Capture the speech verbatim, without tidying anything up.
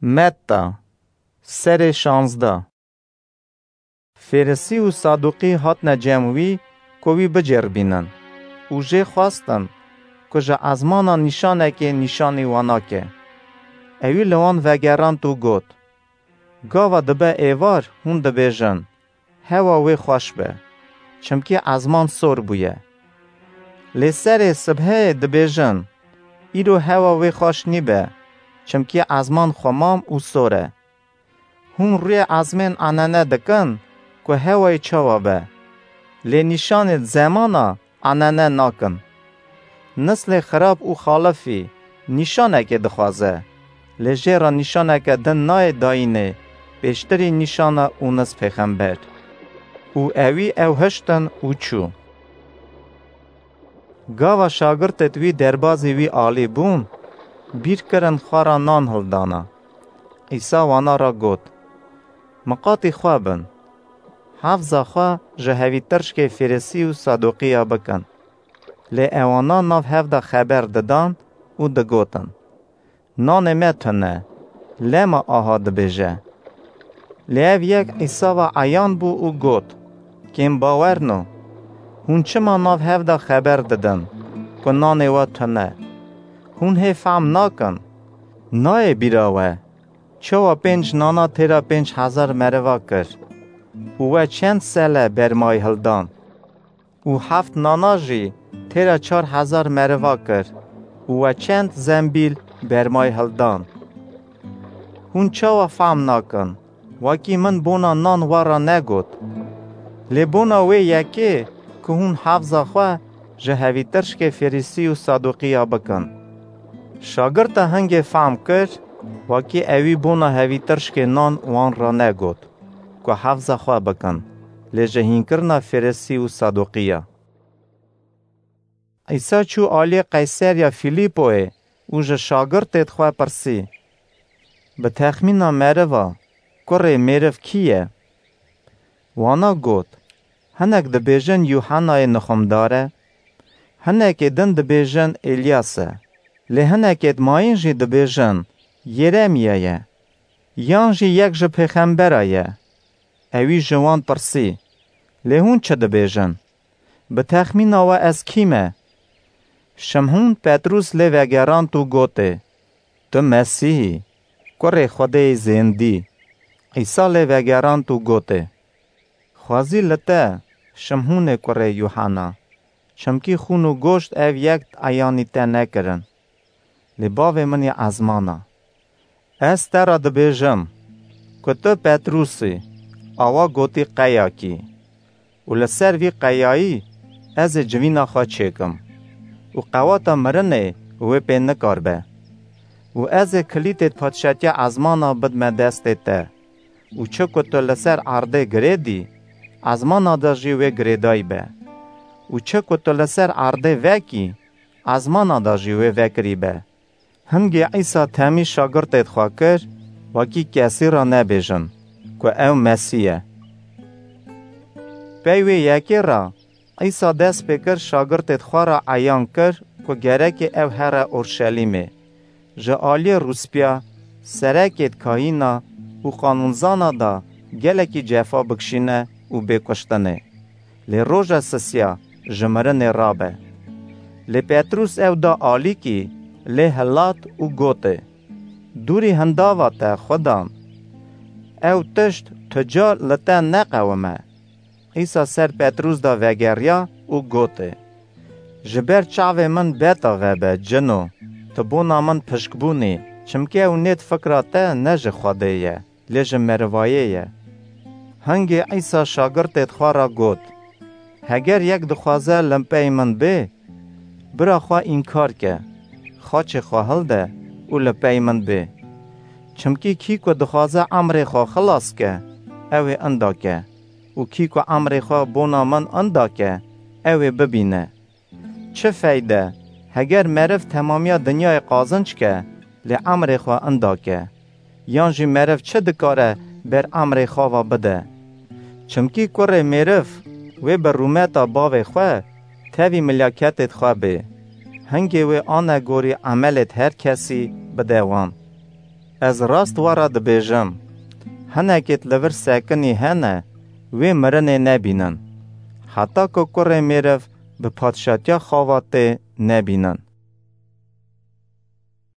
Metta, serê şanzda. Fêrisî û Saduqî hatine cem wî ku wî biceribînin û jê xwestin ku ji ezmana nîşanekê nîşanî wana ke. Ewî li wan vegerand û got, Gava dibe êvar hûn dibêjin, Hewa wê xweş be, çimkî ezman sor bûye. Lê serê sibheyê dibêjin, Îro hewa wê xweş nîbe, çimkî ezman xwemam û sor e. Hûn rûyê ezmên enene dikin ku hewayê çawa be, lê nîşanê zemana enene nakin. Nislê xirab û xalifî nîşanekê dixwaze, lê jê re nîşaneke din nayê dayînê pêştirî nîşana Ûnis pêxember. Û ewî ew hiştin û çû. Gava şagirtêt wî derbazî wî alî bûn, bîr kirin xwe re nan hildana. Îsa wana re got, Miqatî xwe bin, hefza xwe ji hevîtirşkê Fêrisî û Saduqiya bikin. Lê ewana nav hev de xeber didan û digotin, Nanê me tune, lema aha dibêje. Lê ev yek Îsa ve eyan bû û got, Kêmbawerno, hûn çima nav hev de xeber didin ku nanê we tune? Hûn hê fehm nakin? Nayê bîra we, çawa pênc nana têra pênc hezar meriva kir û we çend sele bermayî hildan? Û heft nana jî têra çar hezar meriva kir û we çend zembîl bermayî hildan? Hûn çawa fehm nakin? Wekî min bona nan we re negot. Lê bona wê yekê ku hûn hefza xwe ji hevîtirşkê Fêrîsî û Saduqiya bikin. Şagirta hingê fehm kir, wekî ewî bona hevîtirşkê nan wan re negot ku hefza xwe bikin, lê ji hînkirina Fêrîsî û Saduqiya. Îsa çû aliyê Qeyseriya Fîlîpoyê û ji şagirtêd xwe pirsî, Bi texmîna meriva, kurê mêriv kî ye? Wana got, Hinek dibêjin Yûhenayê Nixumdar e, hinekê din dibêjin Êlyas e, lê hinekêd mayîn jî dibêjin Yeremîya ye, yan jî yek ji pêxembera ye. Ewî ji wan pirsî, Lê hûn çi dibêjin? Bi texmîna we ez kî me? Şimhûn Petrûs lê vegerand û gotê, Tu Mesîh î, kurê Xwedêyê zêndî. Îsa lê vegerand û gotê, Xwezî li te, Şimhûnê kurê Yûhena, çimkî xûn û goşt ev yek eyanî te nekirin, lê Bavê min yê ezmana. Ez te re dibêjim ku tu Petrûs î, awa gotî qeyakî, û li ser vî qeyayî ez ê civîna xwe çêkim û qewata mirinê wê pê nikaribe. Û ez ê kilîtêd padşatiya ezmana bidime destê te û çi ku tu li ser erdê girêdî, ezmana de jî wê girêdayî be û çi ku tu li ser erdê vekî, ezmana de jî wê vekirî be. Hingê Îsa temî şagirtêd xwe kir, wekî kesî re nebêjin ku ew Mesîh e. Pey wê yekê re Îsa dest pê kir şagirtêd xwe re eyan kir ku gerekê ew here Orşelîmê, ji aliyê rûspîya, serekêd kahîna û qanûnzana de gelekî cefa bikişîne û bê kuştinê. Lê roja sisiya ji mirinê rabe. Lê Petrûs ew da alîkî, lê hilat û gotê, Dûrî hindava te, Xudan! Ew tişt tu car li te neqewime. Îsa ser Petrûs da vegeriya û gotê, Ji ber çavê min beta vebe, cino, tu bona min pişkbûnî, çimkî ew nêt fikra te ne ji Xwedê ye, lê ji merivayê ye. Hingê Îsa şagirtêd xwe re got, Heger yek dixwaze li pey min bê, bira xwe înkar ke, xaçê xwe hilde û li pey min bê. Çimkî kî ku dixwaze emrê xwe xilas ke, ew ê inda ke û kî ku emrê xwe bona min inda ke, ew ê bibîne. Çi feyde, heger meriv temamiya dinyayê qazinc ke, lê emrê xwe inda ke? Yan jî meriv çi dikare ber emrê xwe ve bide? Çimkî kurê mêriv wê bi rûmeta bavê xwe tevî milyaketêd xwe bê. Hingê wê anegorî emelêd her kesî bide wan. Ez rast we re dibêjim, hinekêt li vir sekinî hene, wê mirinê nebînin, heta ku kurê mêriv bi padşatiya xawa tê nebînin.